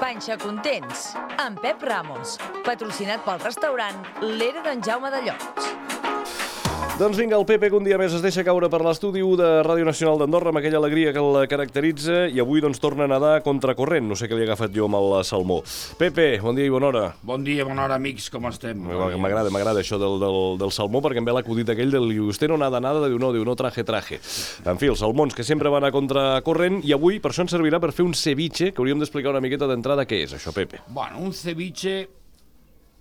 Panxa Contents, amb Pep Ramos, patrocinat pel restaurant L'Era d'en Jaume de Llots. Doncs vinga, el Pepe que un dia més es deixa caure per l'estudi 1 de Ràdio Nacional d'Andorra amb aquella alegria que el caracteritza i avui doncs torna a nedar contracorrent. No sé què li he agafat jo amb el salmó. Pepe, bon dia i bona hora. Bon dia, bona hora, amics, com estem? M'agrada això del salmó perquè em ve l'acudit aquell del usted no nada, diu no, traje. En fi, els salmons que sempre van a contracorrent i avui per això ens servirà per fer un ceviche que hauríem d'explicar una miqueta d'entrada què és això, Pepe. Bueno, un ceviche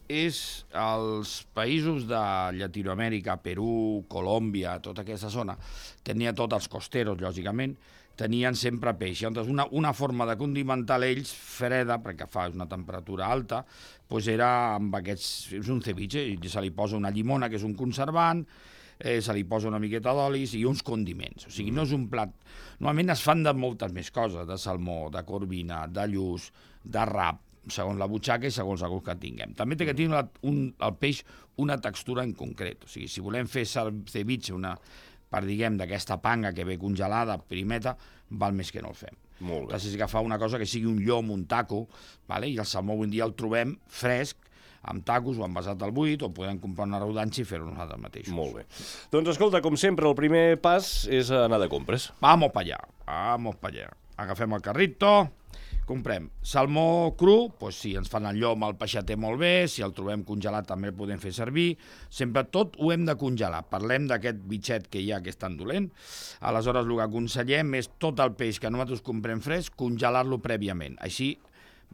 és als països de Llatinoamèrica, Perú, Colòmbia, tota aquesta zona, tenia tots els costeros, lògicament, tenien sempre peix. Llavors, una forma de condimentar ells, freda, perquè fa una temperatura alta, doncs era amb aquests... És un ceviche, i se li posa una llimona, que és un conservant, se li posa una miqueta d'olis i uns condiments. O sigui, no és un plat... Normalment es fan de moltes més coses, de salmó, de corvina, de lluç, de rap, segons la butxaca i segons el gust que tinguem. També té que tenir el peix una textura en concret. O sigui, si volem fer ceviche, diguem, d'aquesta panga que ve congelada, primeta, val més que no el fem. Molt bé. Necessites agafar una cosa que sigui un llom, un taco, vale? I el salmó avui en dia el trobem fresc, amb tacos o envasat al buit, o podem comprar una rodanxa i fer-ho nosaltres mateixos. Molt bé. Doncs escolta, com sempre, el primer pas és anar de compres. Vamos pa allá. Agafem el carrito, comprem salmó cru, doncs si ens fan el llom, el peixater molt bé, si el trobem congelat també el podem fer servir, sempre tot ho hem de congelar. Parlem d'aquest bitxet que hi ha que és tan dolent, aleshores el que aconsellem és tot el peix que nosaltres comprem fresc, congelar-lo prèviament. Així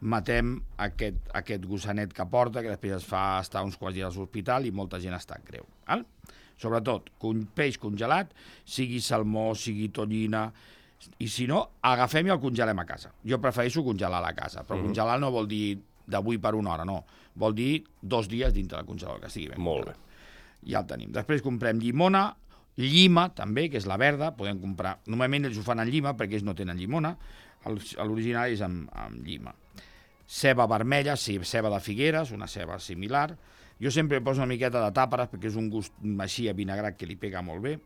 matem aquest gossanet que porta, que després es fa estar uns quants dies a l'hospital i molta gent està greu. Sobretot, peix congelat, sigui salmó, sigui tonyina, i si no, agafem i el congelem a casa. Jo prefereixo congelar a la casa, però congelar no vol dir d'avui per una hora, no. Vol dir 2 dies dintre del congelador, que estigui ben Molt bé. Ja el tenim. Després comprem llimona, llima també, que és la verda, podem comprar... Normalment ells ho fan en llima perquè ells no tenen llimona, l'original és amb llima. Ceba vermella, ceba de Figueres, una ceba similar. Jo sempre poso una miqueta de tàperes perquè és un gust així a vinagrat que li pega molt bé.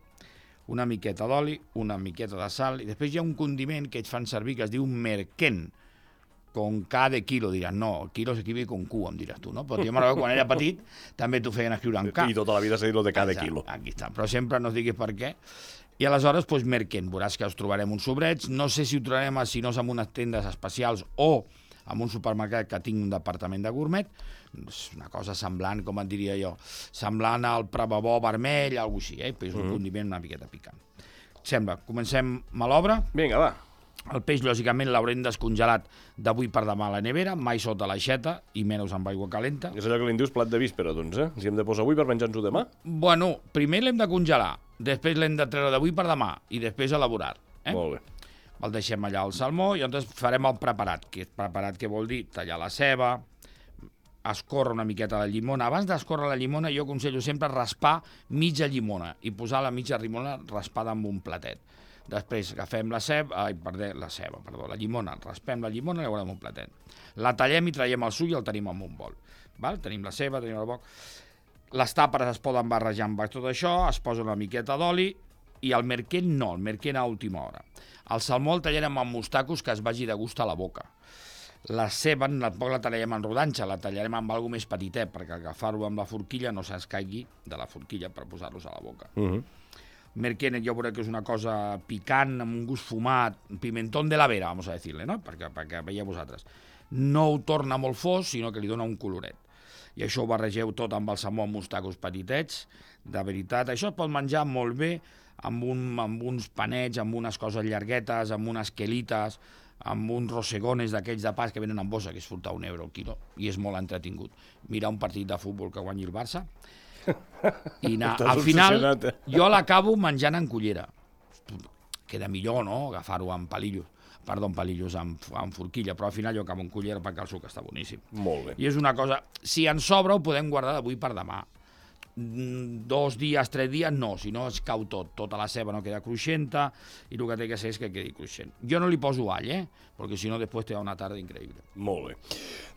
Una miqueta d'oli, una miqueta de sal, i després hi ha un condiment que ells fan servir que es diu merquén, con K de kilo, diràs, no, kilo s'equivi con Q, em diràs tu, no? Però jo m'agrada quan era petit, també t'ho feien escriure en K. I tota la vida s'ha dit lo de K de kilo. Aquí està, però sempre no es diguis per què. I aleshores, doncs, merquén, veuràs que els trobarem uns sobrets, no sé si ho trobarem, si no és en unes tendes especials o en un supermercat que tinc un departament de gourmet, és una cosa semblant, com et diria jo, semblant al pravabó vermell, alguna cosa així, però és un condiment una miqueta picant. Sembla, comencem a l'obra. Vinga, va. El peix, lògicament, l'haurem descongelat d'avui per demà a la nevera, mai sota l'aixeta i menys amb aigua calenta. És allò que li dius plat de víspera, doncs, eh? Si hem de posar avui per menjar-nos-ho demà? Bueno, primer l'hem de congelar, després l'hem de treure d'avui per demà i després elaborar. Molt bé. El deixem allà al salmó i llavors farem el preparat, que és preparat que vol dir tallar la ceba, escórrer una miqueta la llimona. Abans d'escórrer la llimona jo aconsello sempre raspar mitja llimona i posar la mitja llimona raspada amb un platet. Després agafem la llimona, raspem la llimona i la guardem un platet. La tallem i traiem el suc i el tenim en un bol. Tenim la ceba, tenim el boc. Les tàperes es poden barrejar amb tot això, es posa una miqueta d'oli i el merquén no, el merquén a última hora. El salmó el tallarem amb mostacos que es vagi de gust a la boca. La ceba tampoc la tallarem en rodanxa, la tallarem amb alguna més petitet, perquè agafar-ho amb la forquilla no s'escaigui de la forquilla per posar-los a la boca. Merquén jo veuré que és una cosa picant, amb un gust fumat, pimentón de la vera, vamos a decirle, no? Perquè veieu vosaltres. No ho torna molt fos, sinó que li dona un coloret. I això ho barregeu tot amb el salmó amb mostacos petitets. De veritat, això es pot menjar molt bé amb uns panets, amb unes coses llarguetes, amb unes quelites, amb uns rosegones d'aquells de pas que venen en bossa, que és furtar €1 el quilo, i és molt entretingut. Mirar un partit de futbol que guanyi el Barça, i anar. Al final, jo l'acabo menjant en cullera. Queda millor, no?, agafar-ho amb palillos, amb forquilla, però al final jo acabo en cullera perquè el suc està boníssim. Molt bé. I és una cosa, si ens sobra ho podem guardar d'avui per demà. 2 dies, 3 dies, no, si no es cau tot. Tota la ceba no queda cruixenta i el que té que ser és que quedi cruixent. Jo no li poso all, perquè si no després té una tarda increïble. Molt bé.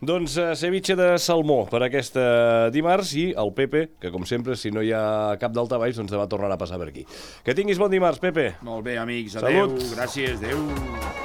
Doncs ceviche de salmó per aquesta dimarts i el Pepe, que com sempre, si no hi ha cap daltabaix, doncs demà tornarà a passar per aquí. Que tinguis bon dimarts, Pepe. Molt bé, amics. Salut. Adéu, gràcies, adéu.